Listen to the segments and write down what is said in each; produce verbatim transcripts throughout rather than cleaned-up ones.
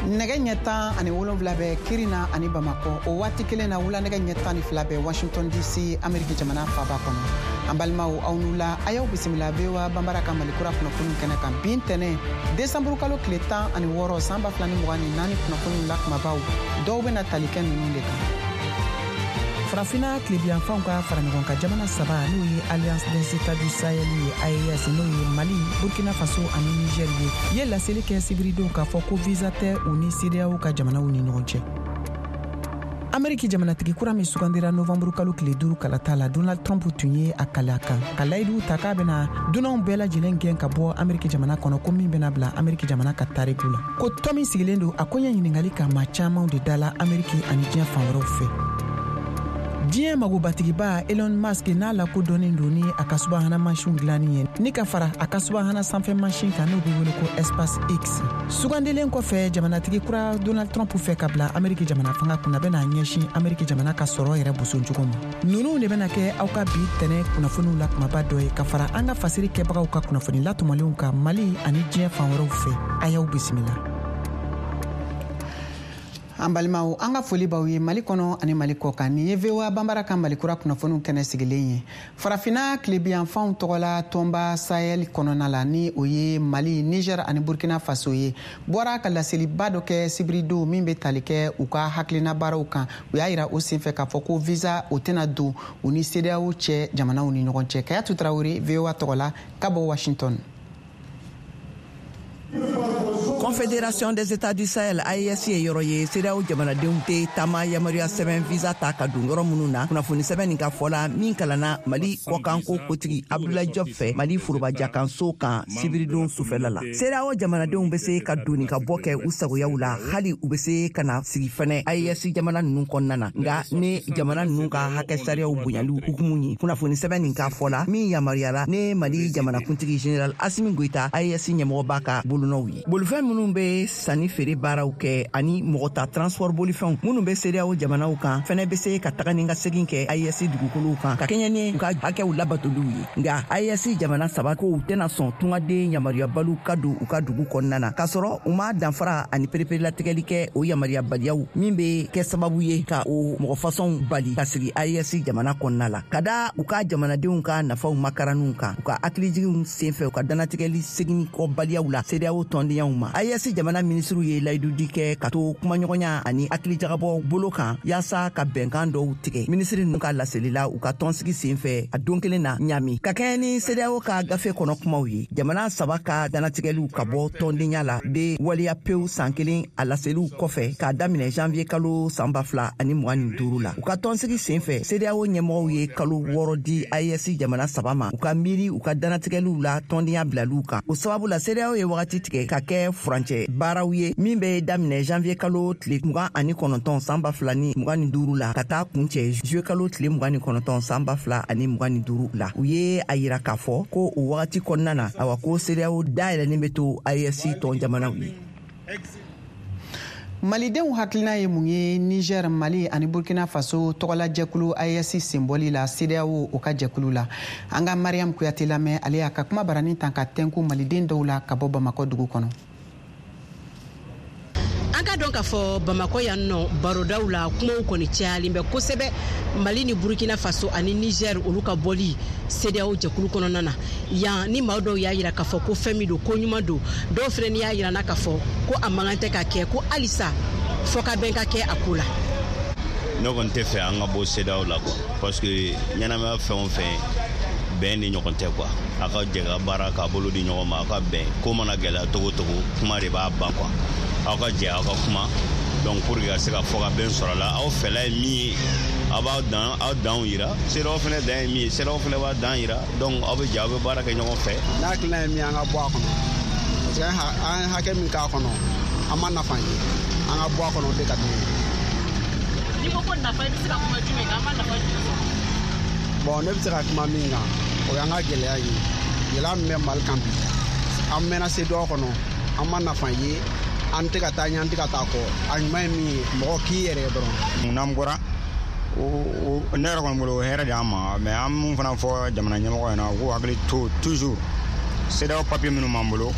Nɛgɛ ɲɛ tan ani wolonwula bɛ Kirina ani Bamakɔ, o waati kelen na wula nɛgɛ ɲɛ tan ni fila bɛ Washington D C, Ameriki jamana faba kɔnɔ. An balimaw, aw n'u la, a y'aw bisimila V O A Banbara ka Malikura kunnafoniw kɛnɛ kan bi ntɛnɛ, desanburu kalo tile tan ani wɔɔrɔ, san ba fila ni mugan ni naani. Kunnafoniw la kumabaw dɔw bɛna tali kɛ ninnu de kan: Farafina tilebiyanfanw ka fara ɲɔgɔn kan jamana saba, n'o ye Alliance des États du Sahel ye, A E S, n'o ye Mali, Burkina Faso ani Niger ye, ye laseli kɛ sibiridon k'a fɔ ko visa tɛ u ni CEDEAO ka jamanaw ni ɲɔgɔn cɛ. Ameriki jamanatigi kura min sugandira novanburu kalo tile duuru kalata la, Donald Trump, tun ye a kali a kan ka layidu ta k'a bɛna dunanw bɛɛ lajɛlen gɛn ka bɔ Ameriki jamana kɔnɔ, ko min bɛna bila Ameriki jamana ka tariku la, ko tɔn min sigilen don a koɲɛ ɲiningali ka maa caamanw de dala Ameriki ani diɲɛ fan wɛrɛw fɛ. Diɲɛ magobatigiba Elon Musk, n'a lakodɔnnen don ni a ka subahana mansinw dilanni ye, ni ka fara a ka subahana sanfɛ mansin kan, n'o be wele ko Espace X, sugandilen kɔfɛ jamanatigi kura Donald Trump fɛ ka bila Ameriki jamana fanga kunna, bɛna ɲɛsin Ameriki jamana ka sɔrɔ yɛrɛ boson cogo ma. Nunu de bɛna kɛ aw ka bi tɛnɛ kunnafoniw la kumaba dɔ ye, ka fara an ka fasiri kɛbagaw ka kunnafoni latɔmɔlenw kan Mali ani diɲɛ fan wɛrɛw fɛ. A y'aw bisimila. An balimaw, an ka foli b'aw ye Mali kɔnɔ ani Mali kɔ kan. Nin ye V O A Banbara ka Malikura kunnafoniw kɛnɛ sigilen ye. Farafina tilebiyanfanw tɔgɔla tɔnba Sahel kɔnɔna la, ni o ye Mali, Niger ani Burkina Faso ye, bɔra ka laseliba dɔ kɛ sibiridon min bɛ tali kɛ u ka hakilina baaraw kan. U y'a yira o senfɛ k'a fɔ ko visa o tɛna don u ni CEDEAO cɛ jamanaw ni ɲɔgɔn cɛ. Kayatu Tarawele, V O A tɔgɔ la ka bɔ Washington. Confédération des États du Sahel, A E S, ye yɔrɔ ye CEDEAO jamanadenw tɛ taama yamaruya sɛbɛn visa ta ka don yɔrɔ minnu na. Kunnafoni sɛbɛn nin ka fɔ la, min kalanna Mali kɔkanko kotigi Abdoulaye Diop fɛ Mali forobajakanso kan sibiridon sufɛla la, CEDEAO jamanadenw bɛ se ka doni ka bɔ kɛ u sagoyaw la, hali u bɛ se ka na sigi fɛnɛ A E S jamana ninnu kɔnɔna na, nka ni jamana ninnu ka hakɛ sariyaw bonyali hukumu ye. Kunnafoni sɛbɛn nin ka fɔ la, min yamaruyala ne Mali jamanakuntigi Général Assimi Goïta, A E S ɲɛmɔgɔba ka bolonɔw ye, bolifɛn minnu bɛ sanni feere baaraw kɛ ani mɔgɔ ta transport bolifɛnw minnu bɛ CEDEAO jamanaw kan fɛnɛ bɛ se ka taga ni ka segin kɛ A E S dugukolow kan ka kɛɲɛ ni u ka hakɛw labatoliw ye. Nka A E S jamana saba kow tɛna sɔn tungaden yamaruyabaliw ka don u ka dugu kɔnɔna na, k'a sɔrɔ u ma danfara ani pereperelatigɛli kɛ o yamaruyabaliyaw min bɛ kɛ sababu ye ka o mɔgɔ fasɔnw bali ka sigi A E S jamana kɔnɔna la, ka da u ka jamanadenw ka nafaw makaraniw kan, u ka hakilijiginw senfɛ, u ka danatigɛli segin kɔbaliyaw la CEDEAO tɔndenyaw ma. A E S jamana minisiriw ye layidudi kɛ ka to kumaɲɔgɔnya ani hakilijagabɔ bolo kan yaasa ka bɛnkan dɔw tigɛ. Minisiri ninnu ka laseli la u ka tɔnsigi sen fɛ a don kelen na Ɲami, ka kɛɲɛ ni CEDEAO ka gafe kɔnɔ kumaw ye, jamana saba ka danatigɛliw ka bɔ tɔndenya la be waleya pewu san kelen a laseliw kɔfɛ, k'a daminɛ janvier kalo san ba fila ani mugan ni duuru la. U ka tɔnsigi sen fɛ, CEDEAO ɲɛmɔgɔw ye kalo wɔɔrɔ di A E S jamana saba ma u ka miiri u ka danatigɛliw la tɔndenya bilaliw kan. O sababu la, CEDEAO ye wagati tigɛ ka kɛ furancɛ baaraw ye min bɛ daminɛ janvier kalo tile mugan ani kɔnɔntɔn san ba fila ni mugan ni duuru la, ka taa kuncɛ juillet kalo tile mugan ni kɔnɔntɔn san ba fila ani mugan ni duuru la. U ye a yira k'a fɔ ko o wagati kɔnɔna na, awa, ko CEDEAO dayɛlɛlen bɛ to A E S tɔn jamanaw ye. Malidenw hakilina ye mun ye Niger, Mali ani Burkina Faso tɔgɔlajɛkulu A E S senbɔli la CEDEAO o ka jɛkulu la? An ka Mariam Kuyate lamɛn, ale y'a ka kuma barani tan ka tɛnku maliden dɔw la ka bɔ Bamakɔ dugu kɔnɔ. An ka dɔn k'a fɔ Bamakɔ yan nɔ, barodaw la, kumaw kɔni cayalen bɛ kosɛbɛ Mali ni Burukina Faso ani Niger, olu ka bɔli CEDEAO jɛkulu kɔnɔna na yan. Ni maa dɔw y'a yira k'a fɔ ko fɛn min don, ko ɲuman don, dɔw fɛnɛ ni y'a yira na k'a fɔ ko a man kan tɛ ka kɛ, ko halisa fɔ ka bɛn ka kɛ a ko la. Ne kɔni tɛ fɛ an ka bɔ CEDEAO la quoi, parce que ɲɛnamaya fɛn o fɛn, bɛn ni ɲɔgɔn tɛ quoi. A ka jɛ ka baara k'a bolo di ɲɔgɔn ma, aw ka bɛn. Ko mana gɛlɛya togo togo, kuma de b'a ban quoi. Aw ka jɛ, aw ka kuma, donc pour que ka se ka fɔ ka bɛn sɔrɔ a la. Aw fɛla ye min ye, aw b'aw dan aw danw yira. CEDEAO fɛnɛ dan ye min ye, CEDEAO fɛnɛ b'a dan yira. Donc aw bɛ jɛ, aw bɛ baara kɛ ɲɔgɔn fɛ. Ne hakilina ye min ye, an ka bɔ a kɔnɔ, parce que an ye hakɛ min k'a kɔnɔ, an ma nafa ye. An ka bɔ a kɔnɔ, o de ka di ne ye. N'i ko ko nafa, i bɛ se ka kuma jumɛn kan? An ma nafa jumɛn sɔrɔ? Bon, ne bɛ se ka kuma min kan, o y'an ka gɛlɛya ye, gɛlɛya min bɛ Mali kan bi. An mɛnna CEDEAO kɔnɔ, an ma nafa ye, an tɛ ka taa ɲɛ, an tɛ ka taa kɔ. A ɲuman ye min ye, mɔgɔ k'i yɛrɛ ye dɔrɔn. N'an bɔra, ne yɛrɛ kɔni bolo, o hɛrɛ de y'an ma. Mais an mun fana fɔ jamana ɲɛmɔgɔ ɲɛna, u k'u hakili to toujours CEDEAO papier minnu b'an bolo.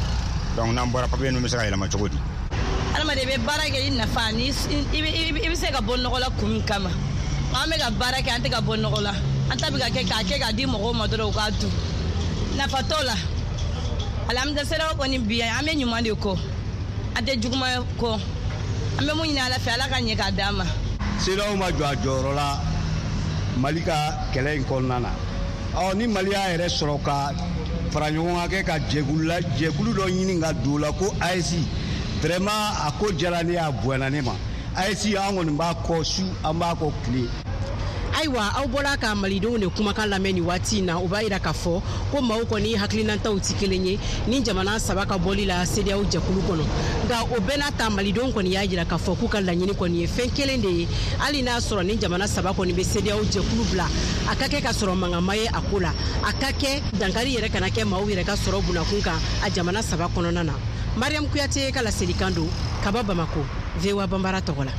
Donc n'an bɔra, papier ninnu bɛ se ka yɛlɛma cogo di? Adamaden i bɛ baara kɛ i nafa ni i bɛ se ka bɔ nɔgɔ la kun min kama. An bɛ ka baara kɛ, an tɛ ka bɔ nɔgɔ la. An ta bɛ ka kɛ k'a kɛ k'a di mɔgɔw ma dɔrɔn u k'a dun. Nafa t'o la. Alhamdulilayi, CEDEAO kɔni bi an bɛ ɲuman de kɔ, an tɛ juguman kɔ. An bɛ mun ɲini Ala fɛ, Ala ka ɲɛ k'a d'an ma. CEDEAO ma jɔ a jɔyɔrɔ la Mali ka kɛlɛ in kɔnɔna na. Ɔ ni Mali y'a yɛrɛ sɔrɔ ka fara ɲɔgɔn kan kɛ ka jɛkulu la jɛkulu dɔ ɲini ka don o la ko A E S, vraiment a ko diyara ne ye, a bonyana ne ma. A E S, an kɔni b'a kɔ su, an b'a kɔ tile. Ayiwa, aw bɔra ka malidenw de kumakan lamɛn nin waati in na. O b'a yira k'a fɔ ko maaw kɔni hakilinataw ti kelen ye ni jamana saba ka bɔli la CEDEAO jɛkulu kɔnɔ. Nka o bɛɛ n'a ta, malidenw kɔni y'a yira k'a fɔ k'u ka laɲini kɔni ye fɛn kelen de ye: hali n'a sɔrɔ ni jamana saba kɔni bɛ CEDEAO jɛkulu bila, a ka kɛ ka sɔrɔ mankanma ye a ko la, a ka kɛ dankari yɛrɛ kana kɛ maaw yɛrɛ ka sɔrɔ bunakun kan a jamana saba kɔnɔna na. Mariam Kuyate ka laselikan don ka bɔ Bamako, V O A Banbara tɔgɔ la.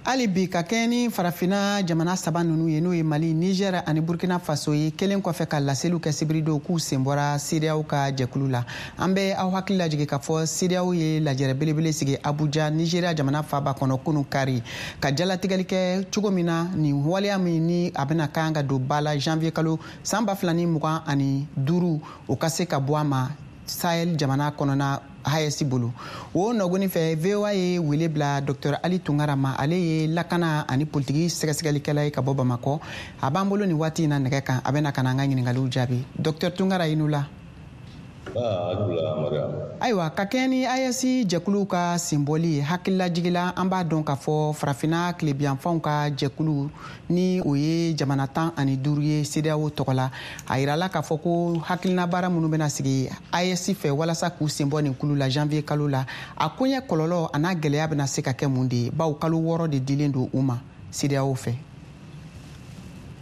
Hali bi, ka kɛɲɛ ni Farafina jamana saba ninnu ye, n'o ye Mali, Niger ani Burkina Faso ye, kelen kɔfɛ ka laseliw kɛ sibiridon k'u sen bɔra CEDEAO ka jɛkulu la. An bɛ aw hakili lajigin k'a fɔ CEDEAO ye lajɛrɛ belebele sigi Abuja, Nigeria jamana faba kɔnɔ, kunu kari, ka jalatigɛli kɛ cogo min na nin waleya min ni a bɛna kan ka don ba la janvier kalo san ba fila ni mugan ani duuru, o ka se ka bɔ a ma Sahel jamana kɔnɔna A E S bolo. O nɔgɔni fɛ, V O A ye wele bila Docteur Ali Tunkara ma. Ale ye lakana ani politiki sɛgɛsɛgɛlikɛla ye ka bɔ Bamakɔ. A b'an bolo nin waati in na nɛgɛ kan, a bɛna ka na an ka ɲiningaliw jaabi. Docteur Tunkara, i ni la. Ayiwa, ka kɛɲɛ ni A E S jɛkuluw ka senbɔli ye, hakililajigila, an b'a dɔn k'a fɔ Farafina tilebiyanfanw ka jɛkulu ni o ye jamana tan ani duuru ye CEDEAO tɔgɔ la, a yirala k'a fɔ ko hakilina baara minnu bɛna sigi A E S fɛ walasa k'u senbɔ nin kulu la janvier kalo la, a koɲɛ kɔlɔlɔ a n'a gɛlɛya bɛna se ka kɛ mun de ye, bawo kalo wɔɔrɔ de dilen don u ma CEDEAO fɛ?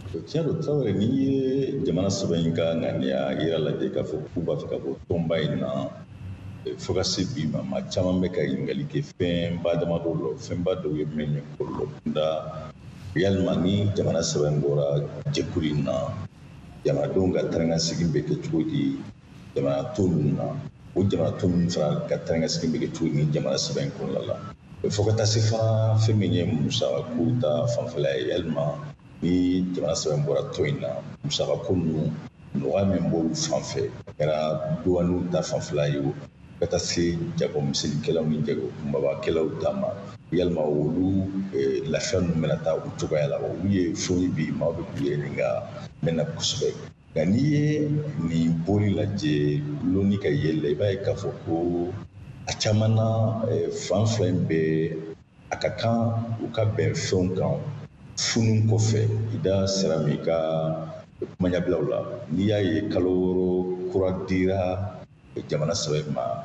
Tiɲɛ don, Tarawele. N'i ye jamana saba in ka ŋaniya yira lajɛ k'a fɔ k'u b'a fɛ ka bɔ tɔnba in na, fo ka se bi ma, maa caman bɛ ka ɲininkali kɛ fɛnba damadɔ la. Fɛnba dɔw ye min ye kɔlɔlɔ kunda, yalima ni jamana saba in bɔra jɛkulu in na, jamanadenw ka taa ni ka segin bɛ kɛ cogo di jamana tɔ ninnu na? O jamana tɔ ninnu fana ka taa ni ka segin bɛ kɛ cogo di ni jamana saba in kɔnɔna la? Fo ka taa se fana fɛn min ye musakako ta fanfɛla ye, yalima ni jamana saba in bɔra tɔn in na, musakako ninnu nɔgɔya min b'olu fan fɛ, a kɛra duwaniw ta fanfɛla ye o, ka taa se jagomisɛnnikɛlaw ni jago kunbabakɛlaw ta ma, yalima olu lafiya ninnu bɛna taa o cogoya la? Olu ye fɛnw ye bi maaw bɛ k'u yɛrɛ ɲininka mɛn na kosɛbɛ. Nka n'i ye nin bɔli lajɛ loni ka yɛlɛ la, i b'a ye k'a fɔ ko a caman na, fan fila in bɛɛ a ka kan u ka bɛn fɛnw kan funu kɔfɛ. I da sera min ka kumaɲabilaw la, n'i y'a ye kalo wɔɔrɔ kura dira jamana saba in ma,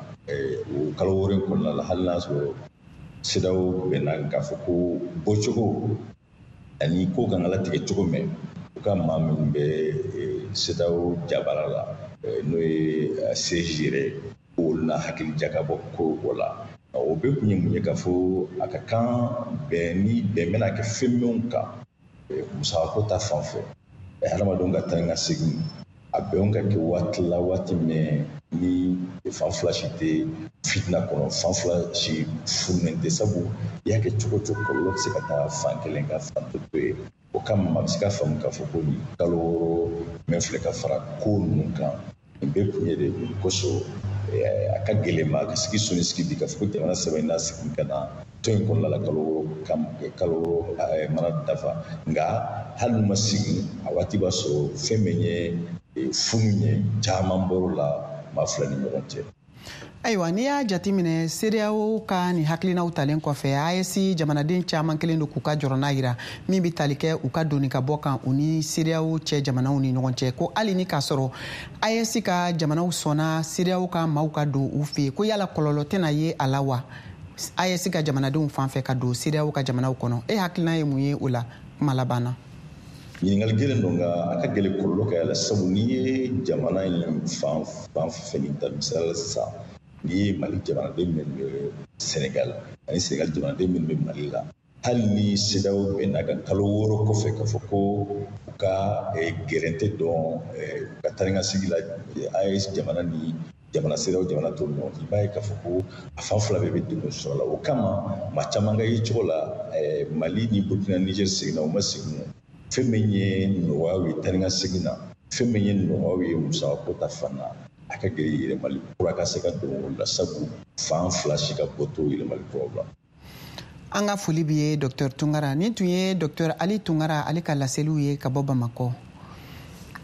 o kalo wɔɔrɔ in kɔnɔna la, hali n'a sɔrɔ CEDEAO bɛnna k'a fɔ ko bɔcogo ani ko kan ka latigɛ cogo min, u ka maa minnu bɛ CEDEAO jabara la, n'o ye C S G yɛrɛ, olu na hakili jakabɔ ko o la. O bɛɛ kun ye mun ye? K'a fɔ a ka kan bɛn ni bɛn bɛna kɛ fɛn minnu kan musakako ta fan fɛ, hadamadenw ka taa ni ka segin, a bɛnw ka kɛ waati la, waati min ni fan fila si tɛ fitina kɔnɔ, fan fila si fununen tɛ. Sabu i y'a kɛ cogo o cogo, kɔlɔlɔ bɛ se ka taa fan kelen ka fan tɔ to yen. O kama a bɛ se ka faamu k'a fɔ ko nin kalo wɔɔrɔ min filɛ ka fara ko ninnu kan, nin bɛɛ kun ye de mun kosɔn a ka gɛlɛn ma ka sigi sɔnni sigi bi k'a fɔ ko jamana saba in n'a segin ka na tɔn in kɔnɔna la kalo wɔɔrɔ kalo wɔɔrɔ mana dafa. Nka hali n'u ma segin, a waati b'a sɔrɔ fɛn min ye funu ye, caman bɔr'o la maa fila ni ɲɔgɔn cɛ. Ayiwa, n'i y'a jateminɛ, CEDEAO ka nin hakilinaw talen kɔfɛ, A E S jamanaden caman kelen don k'u ka jɔrɔna yira min bɛ tali kɛ u ka doni ka bɔ kan u ni CEDEAO cɛ jamanaw ni ɲɔgɔn cɛ, ko hali ni k'a sɔrɔ A E S ka jamanaw sɔnna CEDEAO ka maaw ka don u fɛ yen, ko yala kɔlɔlɔ tɛna ye a la wa A E S ka jamanadenw fan fɛ ka don CEDEAO ka jamanaw kɔnɔ? E hakilina ye mun ye o la kuma laban na? Ɲininkali gɛlɛn don, nka a ka gɛlɛn kɔlɔlɔ ka y'a la, sabu n'i ye jamana in fan fan fɛn nin ta, misali la sisan, n'i ye Mali jamanaden minnu bɛ Senegal ani Senegal jamanaden minnu bɛ Mali la, hali ni CEDEAO bɛnna ka kalo wɔɔrɔ kɔfɛ k'a fɔ ko u ka gɛrɛntɛ dɔn u ka taa ni ka segin la A E S jamana ni jamana CEDEAO jamana tɔw ni ɲɔgɔn cɛ, i b'a ye k'a fɔ ko a fan fila bɛɛ bɛ degun sɔrɔ a la. O kama maa caman ka ye cogo la, Mali ni Burkina, Niger seginna o ma segin, fɛn min ye nɔgɔyaw ye taa ni ka segin na, fɛn min ye nɔgɔyaw ye musakako ta fan na, a ka gɛlɛn yɛlɛmali kura ka se ka don o la, sabu fan fila si ka bɔ t'o yɛlɛmali kuraw la. An ka foli bi ye Docteur Tunkara. Nin tun ye Docteur Ali Tunkara ale ka laseliw ye ka bɔ Bamakɔ.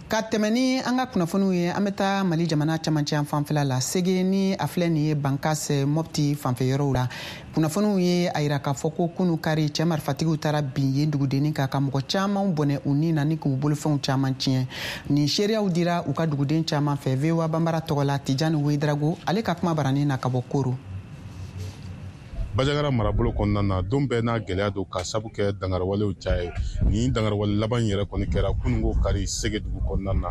Ka tɛmɛ ni an ka kunnafoniw ye, an bɛ taa Mali jamana camancɛ yan fanfɛla la, Sege ni a filɛ nin ye Bankas Mopti fanfɛ yɔrɔw la. Kunnafoniw ye a yira k'a fɔ ko kunu kari cɛ marifatigiw taara bin yen dugudennin kan ka mɔgɔ caman bɔnɛ u ni na ni k'u bolofɛnw caman tiɲɛ. Nin seereyaw dira u ka duguden caman fɛ V O A Banbara tɔgɔ la. Tijani Wedrago ale ka kuma baranin na ka bɔ Koro. Bajangara marabolo kɔnɔna na, don bɛɛ n'a gɛlɛya don ka sabu kɛ dangarawalew caya ye. Nin dangarawale laban yɛrɛ kɔni kɛra kununko kari Sege dugu kɔnɔna na.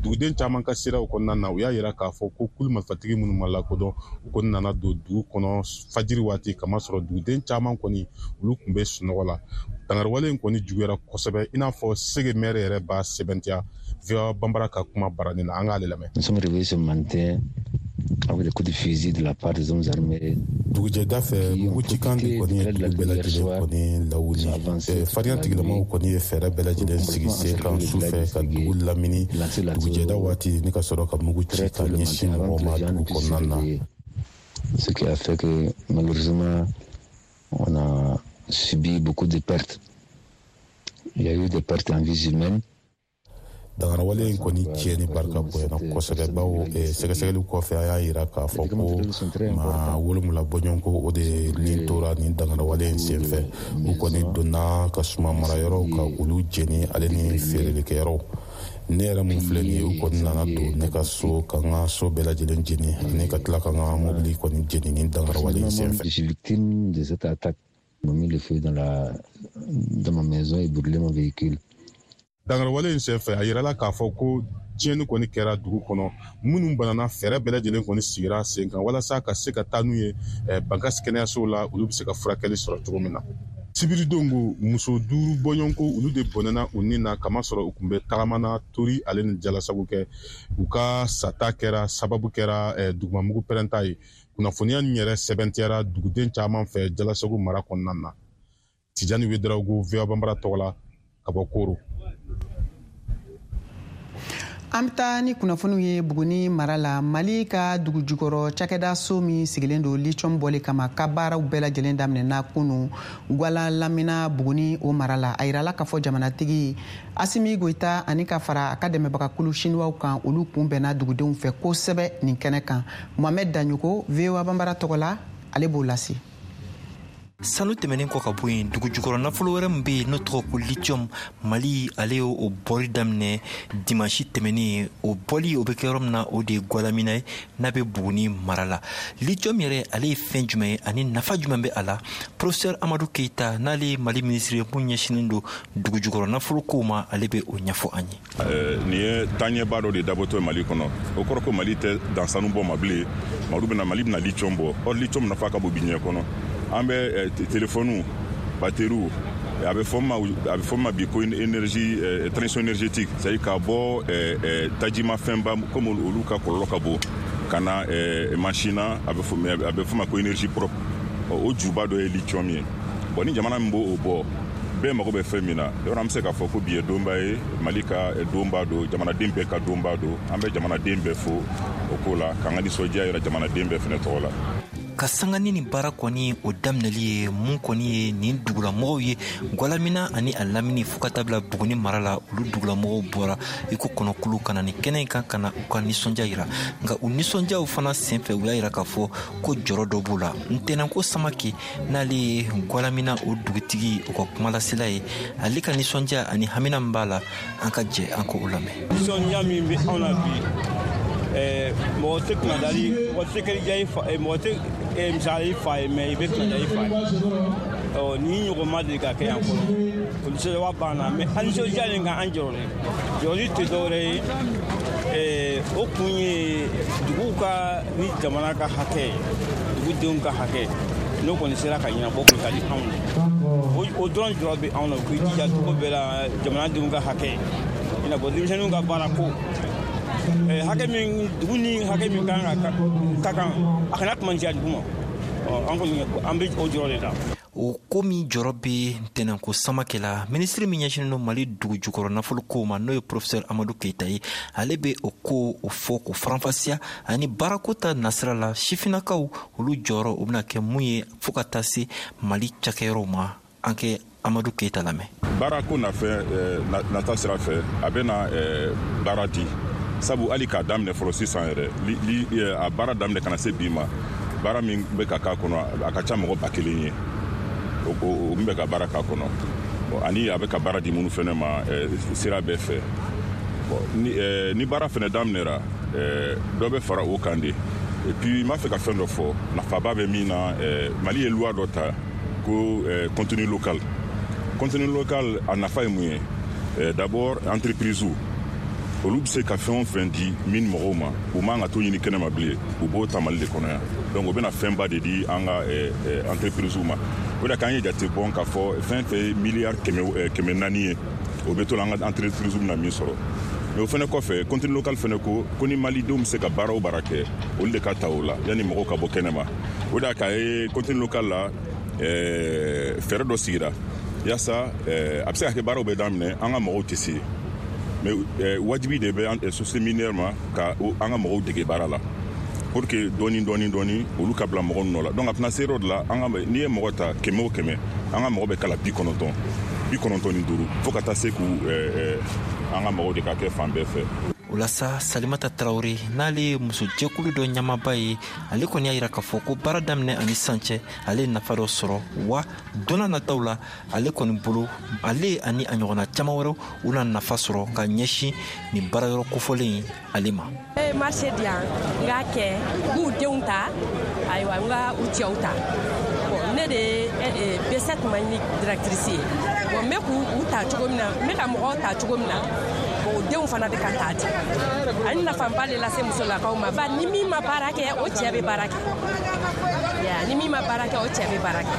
Duguden caman ka siraw kɔnɔna na, u y'a yira k'a fɔ ko kulu marifatigi minnu ma lakodɔn, u kɔni nana don dugu kɔnɔ fajiri waati, kamasɔrɔ duguden caman kɔni olu tun bɛ sunɔgɔ la. Dangarawale in kɔni juguyara kosɛbɛ, i n'a fɔ Sege maire yɛrɛ b'a sɛbɛntiya V O A Banbara ka kuma baranin na, an k'ale lamɛn. Nous sommes réveillés ce matin avec des coups de fusil de la part des hommes armés. Dugujɛda fɛ, mugu cikan de kɔni ye dugu bɛɛ lajɛlen kɔni lawuli. Farinya tigilamaw kɔni ye fɛɛrɛ bɛɛ lajɛlen sigi sen kan su fɛ ka dugu lamini dugujɛda waati ni ka sɔrɔ ka mugu ci ka ɲɛsin mɔgɔw ma dugu kɔnɔna na. Ce qui a fait que malheureusement on a subi beaucoup de pertes. Il y a eu des pertes en vies humaines. Dangarawale in kɔni tiɲɛni barika bonyana kosɛbɛ, bawo sɛgɛsɛgɛliw kɔfɛ a y'a yira k'a fɔ ko maa wolonwula bɔɲɔgɔnko o de nin tora nin dangarawale in senfɛ. U kɔni donna ka suma marayɔrɔw ka olu jeni ale ni feerelikɛyɔrɔw. Ne yɛrɛ mun filɛ nin ye, u kɔni nana don ne ka so ka n ka so bɛɛ lajɛlen jeni ani ka tila ka n ka mobili kɔni jeni nin dangarawale in senfɛ. Je suis victime de cette attaque. Ils m'ont mis le feu dans la dans ma maison et brûlé mon véhicule. Dangarawale in senfɛ, a yirala k'a fɔ ko tiɲɛni kɔni kɛra dugu kɔnɔ. Minnu banana, fɛɛrɛ bɛɛ lajɛlen kɔni sigira sen kan walasa ka se ka taa n'u ye Bankas kɛnɛyasow la, olu bɛ se ka furakɛli sɔrɔ cogo min na. Sibiridon ko muso duuru bɔɲɔgɔnko olu de bɔnɛna u ni na, kamasɔrɔ u tun bɛ tagama na tori ale ni jalasago kɛ. U ka sata kɛra sababu kɛra dugumamugu pɛrɛnta ye. Kunnafoniya nin yɛrɛ sɛbɛntiyara duguden caman fɛ Jalasago mara kɔnɔna na. Tijani Wedrago, V O A Banbara tɔgɔ la ka bɔ Koro. An bɛ taa ni kunnafoniw ye Buguni mara la. Mali ka dugu jukɔrɔ cakɛda so min sigilen don lithium bɔli kama ka baaraw bɛɛ lajɛlen daminɛna kunu Gwala lamina Buguni o mara la. A yirala k'a fɔ jamanatigi Asimi Goyita ani ka fara a ka dɛmɛbagakulu Siniwaw kan, olu kun bɛnna dugudenw fɛ kosɛbɛ nin kɛnɛ kan. Mohamed Daɲogo, V O A Banbara tɔgɔ la, ale b'o lase. Sanu tɛmɛnen kɔ ka bɔ yen, dugu jukɔrɔ nafolo wɛrɛ min bɛ yen n'o tɔgɔ ko lithium, Mali ale y'o o bɔli daminɛ dimansi tɛmɛnen. O bɔli o bɛ kɛ yɔrɔ min na, o de ye Gualamina ye n'a bɛ Buguni mara la. Lithium yɛrɛ ale ye fɛn jumɛn ye ani nafa jumɛn bɛ a la? Professeur Amadu Keyita, n'ale ye Mali minisiri ye mun ɲɛsinnen don dugu jukɔrɔ nafolo kow ma, ale bɛ o ɲɛfɔ an ye. Nin ye taaɲɛba dɔ de dabɔtɔ ye Mali kɔnɔ. O kɔrɔ ko Mali tɛ dan sanu bɔ ma bilen, Mali bɛna Mali bɛna lithium bɔ. Or lithium nafa ka bon bi diɲɛ kɔnɔ. An bɛ téléphone, batterie, a bɛ fɔ ma a bɛ fɔ ma bi ko énergie, transition énergétique, c'est à dire ka bɔ tajimafɛnba comme olu ka kɔlɔlɔ ka bon ka na machine na, a bɛ fɔ a bɛ fɔ ma ko énergie propre. O juba dɔ ye lithium ye. Bon, ni jamana min b'o bɔ, bɛɛ mago bɛ fɛn min na, yɔrɔ an bɛ se k'a fɔ ko bi ye donba ye, Mali ka donba don, jamanaden bɛɛ ka donba don. An bɛ jamanaden bɛɛ fo o ko la, k'an ka nisɔndiya yira jamanaden bɛɛ fɛnɛ tɔgɔ la. Ka sanga ni nin baara kɔni o daminɛli ye mun kɔni ye nin dugulamɔgɔw ye Gualamina ani a lamini fo ka taa bila Buguni mara la, olu dugulamɔgɔw bɔra i ko kɔnɔkulu ka na nin kɛnɛ in kan ka na u ka nisɔndiya yira. Nka u nisɔndiyaw fana senfɛ, u y'a yira k'a fɔ ko jɔrɔ dɔ b'u la. Ntɛnɛnko Samake, n'ale ye Gualamina o dugutigi o ka kumalasela ye, ale ka nisɔndiya ani hamina min b'a la, an ka jɛ an k'o lamɛn. Nisɔndiya min bɛ anw na bi, mɔgɔ tɛ kunnadali, mɔgɔ tɛ kɛ diya i fa, mɔgɔ tɛ misali i fa ye, mɛ i bɛ kunnadiya i fa ye. Ɔ ni ɲɔgɔn ma deli ka kɛ yan fɔlɔ, o nisɔndiya banna. Mɛ an nisɔndiya nin kan, an jɔrɔlen jɔrɔli tɛ dɔwɛrɛ ye, o kun ye duguw ka ni jamana ka hakɛ, dugudenw ka hakɛ, n'o kɔni sera ka ɲɛnabɔ, o ka di anw ye. O dɔrɔn jɔrɔ bɛ anw na, u k'i jija cogo bɛɛ la jamanadenw ka hakɛ, i n'a fɔ denmisɛnninw ka baara ko. Hakɛ min dugu ni hakɛ min kan ka ka kan, a kana kumanciya dugu ma. An kɔni an bɛ o jɔrɔ de la. O ko min jɔrɔ bɛ ntɛnɛnko Samakɛ la, minisiri min ɲɛsinnen don Mali dugu jukɔrɔ nafolo kow ma, n'o ye professeur Amadu Keyita ye, ale bɛ o ko o fɔ k'o faranfasiya ani baarako ta nasira la, sifinnakaw olu jɔyɔrɔ o bɛna kɛ mun ye fo ka taa se Mali cakɛyɔrɔw ma. An kɛ Amadu Keyita lamɛn. Baarako nafɛ nata sira fɛ, a bɛna baara di, sabu hali k'a daminɛ fɔlɔ sisan yɛrɛ, a baara daminɛ ka na se bi ma, baara min bɛ ka k'a kɔnɔ, a ka ca mɔgɔ ba kelen ye o min bɛ ka baara k'a kɔnɔ, ani a bɛ ka baara di minnu fɛnɛ ma sira bɛɛ fɛ. Ni baara fɛnɛ daminɛra, dɔ bɛ fara o kan de. Et puis n b'a fɛ ka fɛn dɔ fɔ nafaba bɛ min na, Mali ye loi dɔ ta ko contenu local. Contenu local a nafa ye mun ye? D'abord, entreprise olu bɛ se ka fɛn o fɛn di min mɔgɔw ma, u man ka to ɲini kɛnɛma bilen, u b'o ta Mali de kɔnɔ yan. Donc o bɛna fɛnba de di an ka entreprise ma. O de k'an ye jate bɔn k'a fɔ fɛn fɛn ye miliyari kɛmɛ naani ye, o bɛ to la an ka entreprise bɛna min sɔrɔ. Mais o fɛnɛ kɔfɛ, contenu local fɛnɛ ko ko ni malidenw bɛ se ka baara o baara kɛ, olu de ka ta o la yanni mɔgɔw ka bɔ kɛnɛma. O de y'a k'a ye contenu local la, fɛɛrɛ dɔ sigira yaasa a bɛ se ka kɛ baaraw bɛ daminɛ, an ka mɔgɔw tɛ se. Mais wajibi de bɛ société minière ma ka an ka mɔgɔw dege baara la, pour que dɔɔni dɔɔni dɔɔni olu ka bila mɔgɔ nɔ la. Donc a tɛna se yɔrɔ de la, an ka n'i ye mɔgɔ ta kɛmɛ o kɛmɛ, an ka mɔgɔ bɛ kala bi kɔnɔntɔn bi kɔnɔntɔn ni duuru, fo ka taa se k'u an ka mɔgɔw de ka kɛ fan bɛɛ fɛ. O la sa, Salimata Tarawele, n'ale ye musojɛkulu dɔ ɲɛmaaba ye, ale kɔni y'a yira k'a fɔ ko baara daminɛ ani sisan cɛ, ale ye nafa dɔ sɔrɔ, wa donna nataw la ale kɔni bolo, ale ani a ɲɔgɔnna caman wɛrɛw u na nafa sɔrɔ ka ɲɛsin nin baarayɔrɔ kofɔlen in ale ma. Ne ye marché di yan, n k'a kɛ, n k'u denw ta, ayiwa n ka u cɛw ta. Bon, ne de ye B sept Mali directrice ye. Bon, n bɛ k'u ta cogo min na, n bɛ ka mɔgɔw ta cogo min na, o denw fana bɛ ka taa ten. Ani nafaba de lase musolakaw ma, ba ni min ma baara kɛ, o cɛ bɛ baara kɛ. Ni min ma baara kɛ, o cɛ bɛ baara kɛ.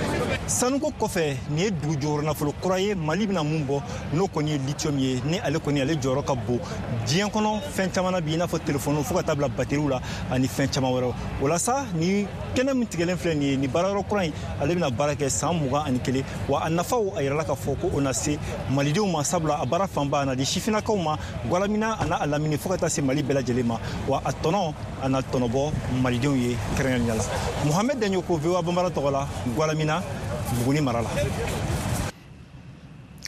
Sanuko kɔfɛ, nin ye dugu jɔyɔrɔ nafolo kura ye Mali bɛna mun bɔ, n'o kɔni ye lithium ye, ni ale kɔni ale jɔyɔrɔ ka bon diɲɛ kɔnɔ fɛn caman na bi, i n'a fɔ telefɔniw fo ka taa bila bateriw la ani fɛn caman wɛrɛw. O la sa, ni kɛnɛ min tigɛlen filɛ nin ye, nin baarayɔrɔ kura in, ale bɛna baara kɛ san mugan ani kelen, wa a nafaw a yirala k'a fɔ ko o na se malidenw ma, sabula a baara fanba a na di sifinnakaw ma Gualamina a n'a lamini fo ka taa se Mali bɛɛ lajɛlen ma, wa a tɔnɔ a na tɔnɔbɔ malidenw ye kɛrɛnkɛrɛnnenya la. Mohamed Dagnoko, V O A Bambara tɔgɔ la, Gualamina, Buguni mara la.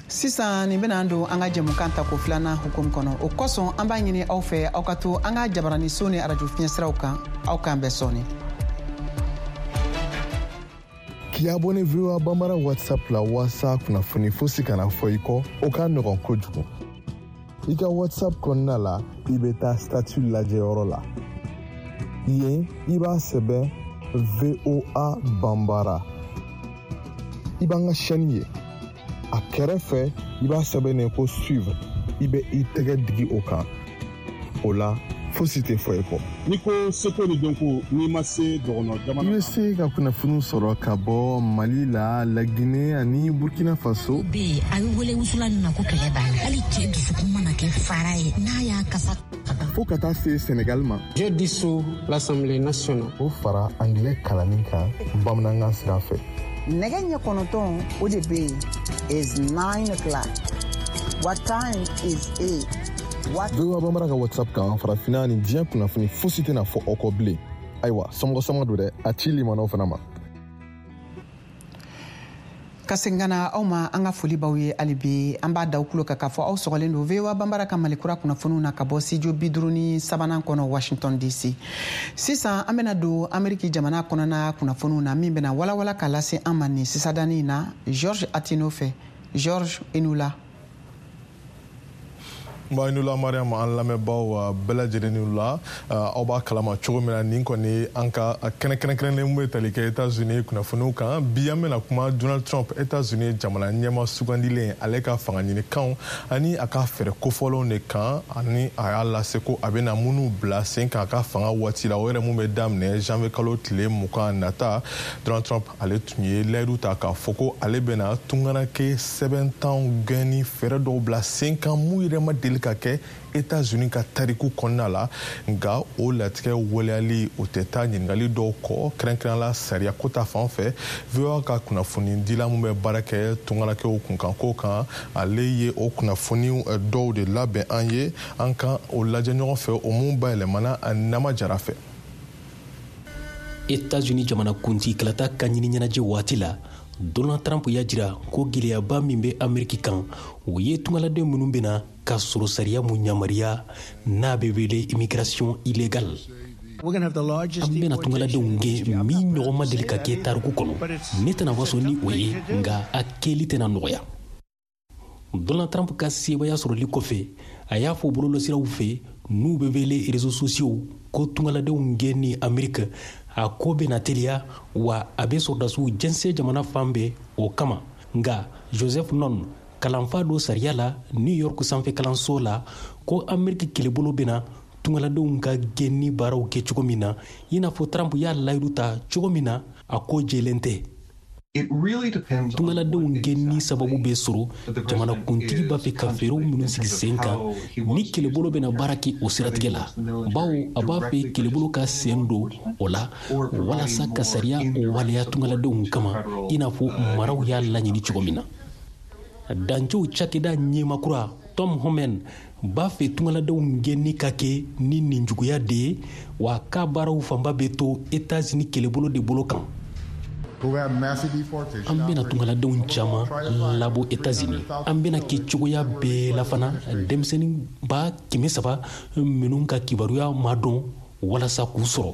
Sisan nin bɛna don an ka jɛmukan tako filanan hukumu kɔnɔ. O kosɔn an b'a ɲini aw fɛ, aw ka to an ka jabaraniso ni arajo fiɲɛsiraw kan. Aw k'an bɛn sɔɔni. K'i abonné V O A Bambara WhatsApp la walasa kunnafoni fosi kana fɔ i kɔ, o ka nɔgɔn kojugu. I ka WhatsApp kɔnɔna la, i bɛ taa statut lajɛyɔrɔ la. Yen, i b'a sɛbɛn V O A Bambara. I b'an ka chaîne ye. A kɛrɛfɛ, i b'a sɛbɛn ko suivre. I bɛ i tɛgɛ digi o kan. O la, fosi tɛ fɔ i kɔ. N'i ko seko ni dɔnko, n'i ma se dɔgɔnɔ jamana. I bɛ se ka kunnafoniw sɔrɔ ka bɔ Mali la, Laginɛ ani Burkina Faso. Bɛ a bɛ wele wusulan min ma ko kɛlɛ b'a la. Hali cɛ dusukun mana kɛ fara ye, n'a y'a kasa. Fo ka taa se Senegal ma. Je dissous l'Assemblée nationale. O fara anglais kalanni kan bamanankan sira fɛ. Nɛgɛ ɲɛ kɔnɔntɔn o de bɛ yen is nine o'clock. What time is it? What... V O A Bambara ka WhatsApp kan, farafinna ni diɲɛ kunnafoni fosi tɛna fɔ aw kɔ bilen. Ayiwa, somɔgɔ sama don dɛ, a ci limanaw fana ma. Ka segin ka na aw ma, an ka foli b'aw ye hali bi. An b'a da aw tulo kan k'a fɔ aw sɔgɔlen don V O A Bambara ka Mali kura kunnafoniw na ka bɔ studio bi duuru ni sabanan kɔnɔ Washington D C. Sisan an bɛna don Ameriki jamana kɔnɔna kunnafoniw na, min bɛna walawala ka lase an ma nin sisadani in na George Atino fɛ. George, i ni wula. Nba, i ni wula Mariam, an lamɛnbaaw bɛɛ lajɛlen ni wula. Aw b'a kalama cogo min na, nin kɔni an ka kɛnɛ kɛrɛnkɛrɛnnen bɛ tali kɛ États-Unis kunnafoniw kan. Bi an bɛna kuma Donald Trump, États-Unis jamana ɲɛmaa sugandilen, ale ka fanga ɲinikanw ani a ka fɛɛrɛ kofɔlenw de kan, ani a y'a lase ko a bɛna minnu bila sen kan a ka fanga waati la, o yɛrɛ mun bɛ daminɛ janvier kalo tile mugan nata. Donald Trump ale tun ye layidu ta k'a fɔ ko ale bɛna tungaranke sɛbɛntanw gɛnni fɛɛrɛ dɔw bila sen kan mun yɛrɛ ma deli deli ka kɛ États-Unis ka tariku kɔnɔna la. Nka o latigɛ waleyali o tɛ taa ɲininkali dɔw kɔ, kɛrɛnkɛrɛn la sariya ko ta fan fɛ. V O A ka kunnafonidila min bɛ baara kɛ tungarakɛw kunkanko kan, ale ye o kunnafoni dɔw de labɛn an ye, an kan o lajɛ ɲɔgɔn fɛ, o mun bayɛlɛmana Nama Jara fɛ. États-Unis jamanakuntigi kalata ka ɲini ɲɛnajɛ waati la, Donald Trump y'a jira ko gɛlɛyaba min bɛ Ameriki kan, o ye tungaladen minnu bɛna ka sɔrɔ sariya mun yamaruya n'a bɛ wele immigration illégale. An bɛna tungaladenw gɛn min ɲɔgɔn ma deli ka kɛ tariku kɔnɔ. Ne tɛna waso ni o ye, nka a kɛli tɛna nɔgɔya. Donald Trump ka sebaaya sɔrɔli kɔfɛ, a y'a fɔ bɔlɔlɔsiraw fɛ n'u bɛ wele réseaux sociaux ko tungaladenw gɛn ni Ameriki a ko bɛna teliya, wa a bɛ sɔrɔdasiw jɛnsɛn jamana fan bɛɛ o kama. Nka Joseph Non, kalanfa dɔ sariya la New York sanfɛ kalanso la, ko Ameriki kɛlɛbolo bɛna tungaladenw ka gɛnni baaraw kɛ cogo min na, i n'a fɔ Trump y'a layidu ta cogo min na, a ko jɛlen tɛ. Tungaladenw gɛnni sababu bɛ sɔrɔ jamanakuntigi b'a fɛ ka fɛɛrɛw minnu sigi sen kan ni kɛlɛbolo bɛna baara kɛ o siratigɛ la, bawo a b'a fɛ kɛlɛbolo ka sen don o la walasa ka sariya waleya tungaladenw kama, i n'a fɔ maraw y'a laɲini cogo min na. Dancɛw cakɛda ɲɛmakura Tom Homan b'a fɛ tungaladenw gɛnni ka kɛ ni ninjuguya de ye, wa k'a baaraw fanba bɛ to États-Unis kɛlɛbolo de bolo kan. An bɛna tungaladenw caman labɔ États-Unis. An bɛna kɛ cogoya bɛɛ la fana denmisɛnnin ba kɛmɛ saba minnu ka kibaruya ma dɔn walasa k'u sɔrɔ.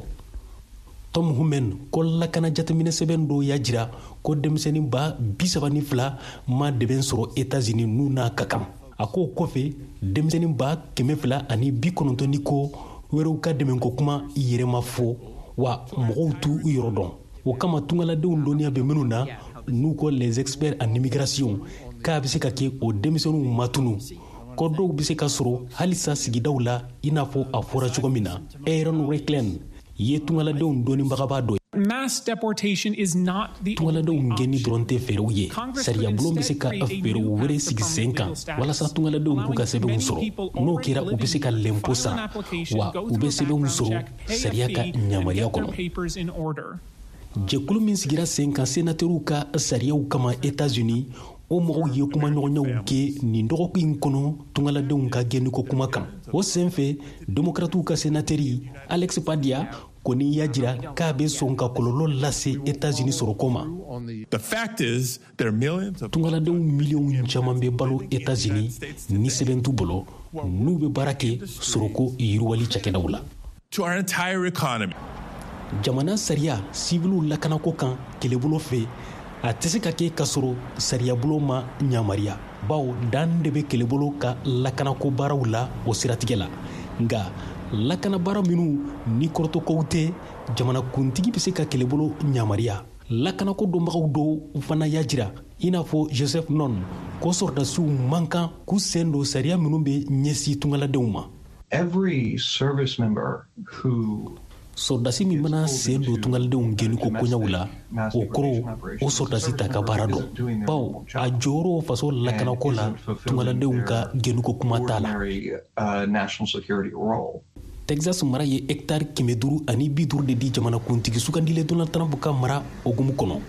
Tom Homan ko lakana jateminɛ sɛbɛn dɔ y'a jira ko denmisɛnnin ba bi saba ni fila ma dɛmɛ sɔrɔ États-Unis n'u n'a ka kan. A k'o kɔfɛ denmisɛnnin ba kɛmɛ fila ani bi kɔnɔntɔn ni ko wɛrɛw ka dɛmɛko kuma yɛrɛ ma fɔ, wa mɔgɔw t'u yɔrɔ dɔn. O kama tungaladenw dɔnniya bɛ minnu na n'u ko les experts en immigration k'a bɛ se ka kɛ o denmisɛnninw ma tunu, ko dɔw bɛ se ka sɔrɔ halisa sigidaw la i n'a fɔ a fɔra cogo min na. Aaron Recklen ye tungaladenw dɔnnibagaba dɔ ye. Tungaladenw gɛnni dɔrɔn tɛ fɛɛrɛw ye. Sariyabulon bɛ se ka fɛɛrɛw wɛrɛ sigi sen kan walasa tungaladenw k'u ka sɛbɛnw sɔrɔ. N'o kɛra, u bɛ se ka lɛnpo sara, wa u bɛ sɛbɛnw sɔrɔ sariya ka yamaruya kɔnɔ. Jɛkulu min sigira sen kan sénateurw ka sariyaw kama États-Unis, o mɔgɔw ye kumaɲɔgɔnyaw kɛ nin dɔgɔkun in kɔnɔ tungaladenw ka gɛnniko kuma kan. O senfɛ, démocratew ka sénateri Alex Padilla kɔni y'a jira k'a bɛ sɔn ka kɔlɔlɔ lase États-Unis sɔrɔko ma. Tungaladenw miliyɔn caman bɛ balo États-Unis ni sɛbɛn t'u bolo, n'u bɛ baara kɛ sɔrɔko yiriwali cakɛdaw la. Jamana sariya siwiliw lakanako kan kɛlɛbolo fɛ, a tɛ se ka kɛ k'a sɔrɔ sariyabulon ma yamaruya, bawo dan de bɛ kɛlɛbolo ka lakanako baaraw la o siratigɛ la. Nka lakanabaara minnu ni kɔrɔtɔkow tɛ, jamanakuntigi bɛ se ka kɛlɛbolo yamaruya. Lakanako dɔnbagaw dɔw fana y'a jira, i n'a fɔ Joseph Non, ko sɔrɔdasiw man kan k'u sen don sariya minnu bɛ ɲɛsin tungaladenw ma. Every service member who Sɔrɔdasi min mana sen don tungaladenw gɛnniko koɲaw la, o kɔrɔ o sɔrɔdasi t'a ka baara dɔn, bawo a jɔyɔrɔ faso lakanako la tungaladenw ka gɛnniko kuma t'a la. Texas mara ye hectare kɛmɛ duuru ani bi duuru de di jamanakuntigi sugandilen Donald Trump ka mara hukumu kɔnɔ,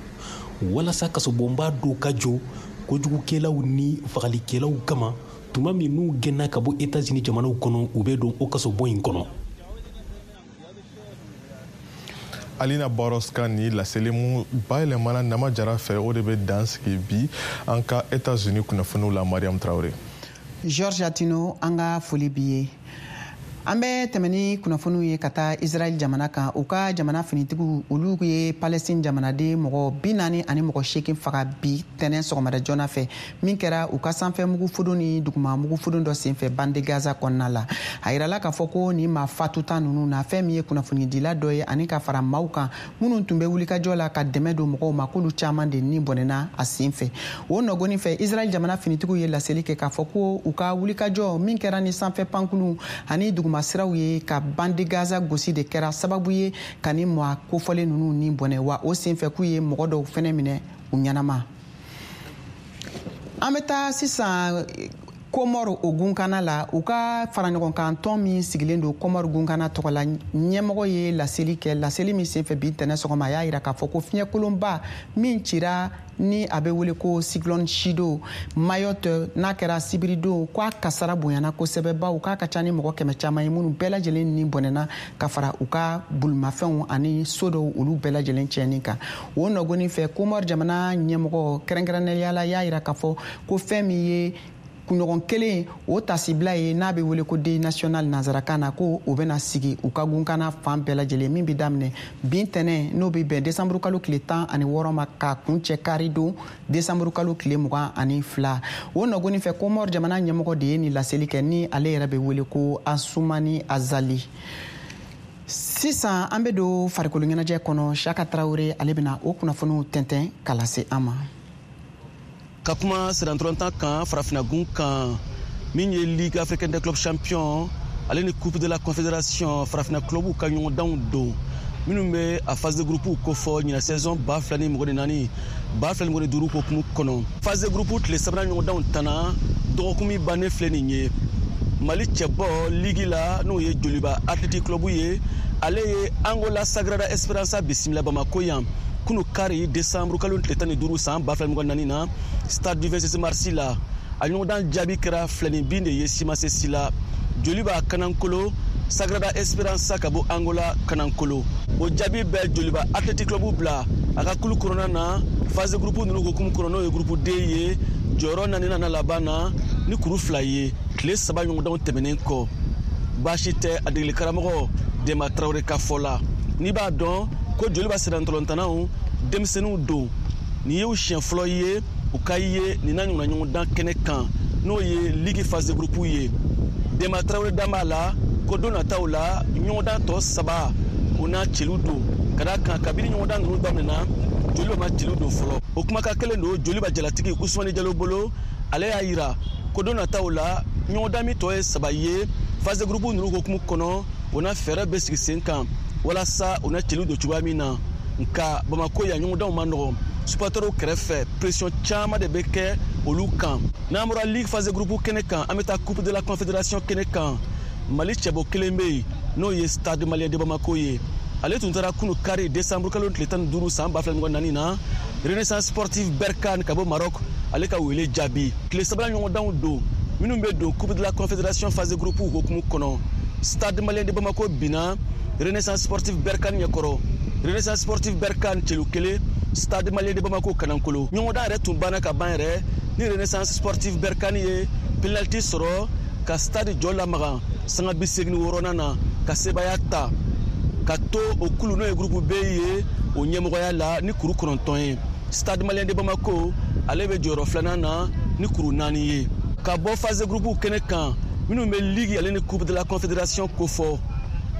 walasa kasobonba dɔw ka jɔ kojugukɛlaw ni fagalikɛlaw kama tuma min n'u gɛnna ka bɔ États-Unis jamanaw kɔnɔ, u bɛ don o kasobon in kɔnɔ. Alina Barros ka ni laseli mun bayɛlɛmana Nama Jara fɛ, o de bɛ dan sigi bi an ka États-Unis kunnafoniw la. Mariam Traoré. Georges Atino, an ka foli b'i ye. An bɛ tɛmɛ ni kunnafoniw ye ka taa Israël jamana kan. U ka jamana finitigiw olu ye Palestine jamanaden mɔgɔ bi naani ani mɔgɔ seegin faga bi tɛnɛn sɔgɔmada joona fɛ, min kɛra u ka sanfɛ mugufodon ni duguma mugufodon dɔ senfɛ bande Gaza kɔnɔna la. A yirala k'a fɔ ko nin maa fatuta ninnu na, fɛn min ye kunnafonidila dɔ ye ani ka fara maaw kan minnu tun bɛ wulikajɔ la ka dɛmɛ don mɔgɔw ma, k'olu caman de ni bɔnɛna a senfɛ. O nɔgɔni fɛ, Israël jamana finitigiw ye laseli kɛ k'a fɔ ko u ka wulikajɔ min kɛra ni sanfɛ pankulu ani duguma siraw ye ka bande Gaza gosi de kɛra sababu ye ka ni maa kofɔlen ninnu ni bɔnɛ, wa o senfɛ k'u ye mɔgɔ dɔw fɛnɛ minɛ u ɲɛnama. An bɛ taa sisan Komɔri o gunkana la, u ka faraɲɔgɔnkan tɔn min sigilen don Komɔri gunkana tɔgɔ la, ɲɛmɔgɔ ye laseli kɛ. Laseli min senfɛ bi ntɛnɛn sɔgɔma, a y'a yira k'a fɔ ko fiɲɛkolonba min cira ni a bɛ wele ko cyclone Chido Mayotte, n'a kɛra sibiridon, ko a kasara bonyana kosɛbɛ, bawo k'a ka ca ni mɔgɔ kɛmɛ caman ye minnu bɛɛ lajɛlen ni bɔnɛna ka fara u ka bolimafɛnw ani so dɔw olu bɛɛ lajɛlen tiɲɛni kan. O nɔgɔnin fɛ, Komɔri jamana ɲɛmɔgɔ kɛrɛnkɛrɛnnenya la y'a yira k'a fɔ ko fɛn min ye kunɲɔgɔn kelen o tasibila ye n'a bɛ wele ko deuil national nanzarakan na, ko o bɛna sigi u ka gunkana fan bɛɛ lajɛlen min bɛ daminɛ bi ntɛnɛn, n'o bɛ bɛn desanburu kalo tile tan ani wɔɔrɔ ma, ka kuncɛ kari don desanburu kalo tile mugan ani fila. O nɔgɔnin fɛ, Komɔri jamana ɲɛmɔgɔ de ye nin laseli kɛ, ni ale yɛrɛ bɛ wele ko Asumani Azali. Sisan an bɛ don farikolo ɲɛnajɛ kɔnɔ. Saka Tarawele ale bɛna o kunnafoniw tɛntɛn ka lase an ma. Ka kuma sirantɔlɔntan kan farafinagun kan, min ye Ligue africaine des clubs champions ale ni Coupe de la Confédération farafina clubw ka ɲɔgɔndanw don, minnu bɛ a phase de groupe kofɔ ɲinan saison ba fila ni mugan ni naani ba fila ni mugan ni duuru hokumu kɔnɔ. Phase de groupe tile sabanan ɲɔgɔndanw tana dɔgɔkun min bannen filɛ nin ye, Mali cɛbɔ ligue la n'o ye Joliba Athletic Club ye, ale ye Angola Sagrada Esperança bisimila Bamako yan kunu kari décembre kalo tile tan ni duuru san ba fila ni mugan ni naani na stade du vingt-six mars la. A ɲɔgɔndan jaabi kɛra filani bin de ye simase si la. Joliba kanankolo, Sagrada Esperança ka bɔ Angola kanankolo. O jaabi bɛ Joliba Athletic Club bila a ka kulu kɔnɔna na phase groupe ninnu hokumu kɔnɔ, n'o ye groupe D ye, jɔyɔrɔ naaninan na laban na ni kuru fila ye tile saba ɲɔgɔndanw tɛmɛnen kɔ. Baasi tɛ a degeli karamɔgɔ Dema Tarawele ka fɔ la. N'i b'a dɔn ko Joliba sirantɔlɔntannaw denmisɛnninw don, nin y'u siɲɛ fɔlɔ ye u ka ye nin n'a ɲɔgɔnna ɲɔgɔndan kɛnɛ kan, n'o ye ligue phase de groupe ye. Dema Tarawele dan b'a la ko don nataw la ɲɔgɔndan tɔ saba o n'a celu don, ka d'a kan kabini ɲɔgɔndan ninnu daminɛna Joliba ma celu don fɔlɔ. O kumakan kelen don Joliba jalatigi Usumani Jalo bolo, ale y'a yira ko don nataw la ɲɔgɔndan min tɔ ye saba ye phase de groupe ninnu hokumu kɔnɔ, o n'a fɛɛrɛ bɛ sigi sen kan walasa u na celu don cogoya min na. Nka Bamako yan ɲɔgɔndanw ma nɔgɔn, supporters kɛrɛfɛ pression caman de bɛ kɛ olu kan. N'an bɔra ligue phase groupe kɛnɛ kan, an bɛ taa Coupe de la Confédération kɛnɛ kan. Mali cɛbɔ kelen bɛ yen n'o ye Stade Malien de Bamako ye. Ale tun taara kunu kari décembre kalo tile tan ni duuru san ba fila ni mugan ni naani na Renaissance Sportive Berkane ka bɔ Maroc ale ka wele jaabi. Tile sabanan ɲɔgɔndanw don minnu bɛ don Coupe de la Confédération phase groupe hokumu kɔnɔ. Stade Malien de Bamako binna Renaissance Sportive Berkane ɲɛkɔrɔ. Renaissance Sportive Berkane celu kelen, Stade Malien de Bamako kanankolo. Ɲɔgɔndan yɛrɛ tun banna ka ban yɛrɛ ni Renaissance Sportive Berkane ye penalty sɔrɔ ka stade jɔ lamaga sanga bi seegin ni wɔɔrɔnan na ka sebaaya ta ka to o kulu n'o ye groupe B ye o ɲɛmɔgɔya la ni kuru kɔnɔntɔn ye. Stade Malien de Bamako ale bɛ jɔyɔrɔ filanan na ni kuru naani ye. Ka bɔ phase groupe kɛnɛ kan minnu bɛ ligue ale ni Coupe de la Confédération kofɔ,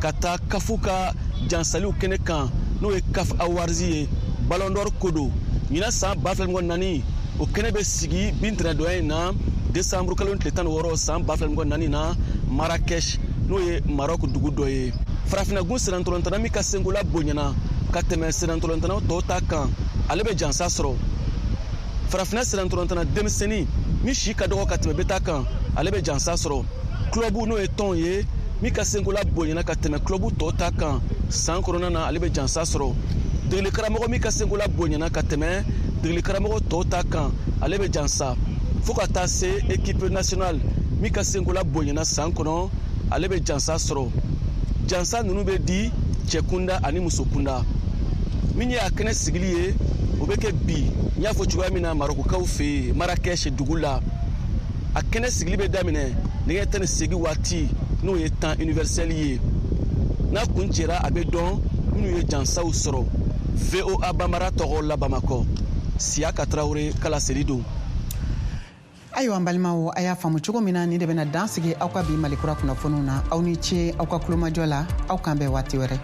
ka taa kafu ka jansaliw kɛnɛ kan n'o ye CAF Awards ye, Ballon d'Or ko don. Ɲinan san ba fila ni mugan ni naani o kɛnɛ bɛ sigi bi ntɛnɛndonya in na décembre kalo tile tan ni wɔɔrɔ san ba fila ni mugan ni naani na Marrakech, n'o ye Maroc dugu dɔ ye. Farafinagun sirantɔlɔntanna min ka senkola bonyana ka tɛmɛ sirantɔlɔntannaw tɔw ta kan, ale bɛ jansa sɔrɔ. Farafinna sirantɔlɔntanna denmisɛnnin min si ka dɔgɔ ka tɛmɛ bɛɛ ta kan, ale bɛ jansa sɔrɔ. Club n'o ye tɔn ye min ka senkola bonyana ka tɛmɛ club tɔw ta kan san kɔnɔna na, ale bɛ jansa sɔrɔ. Degeli karamɔgɔ min ka senkola bonyana ka tɛmɛ degeli karamɔgɔ tɔw ta kan, ale bɛ jansa. Fo ka taa se équipe nationale min ka senkola bonyana san kɔnɔ, ale bɛ jansa sɔrɔ. Jansa ninnu bɛ di cɛ kunda ani muso kunda. Min ye a kɛnɛ sigili ye, o bɛ kɛ bi n y'a fɔ cogoya min na Marokukaw fɛ yen Marrakech dugu la. A kɛnɛ sigili bɛ daminɛ nɛgɛ tan ni seegin waati, n'o ye temps universel ye. N'a kun cɛra a bɛ dɔn minnu ye jansaw sɔrɔ. V O A Bambara tɔgɔ la Bamakɔ, Siyaka Tarawele kala seli don. Ayiwa n balimaw, a y'a faamu cogo min na, nin de bɛna dan sigi aw ka bi Malikura kunnafoniw na. Aw ni ce aw ka kulomajɔ la, aw k'an bɛn waati wɛrɛ.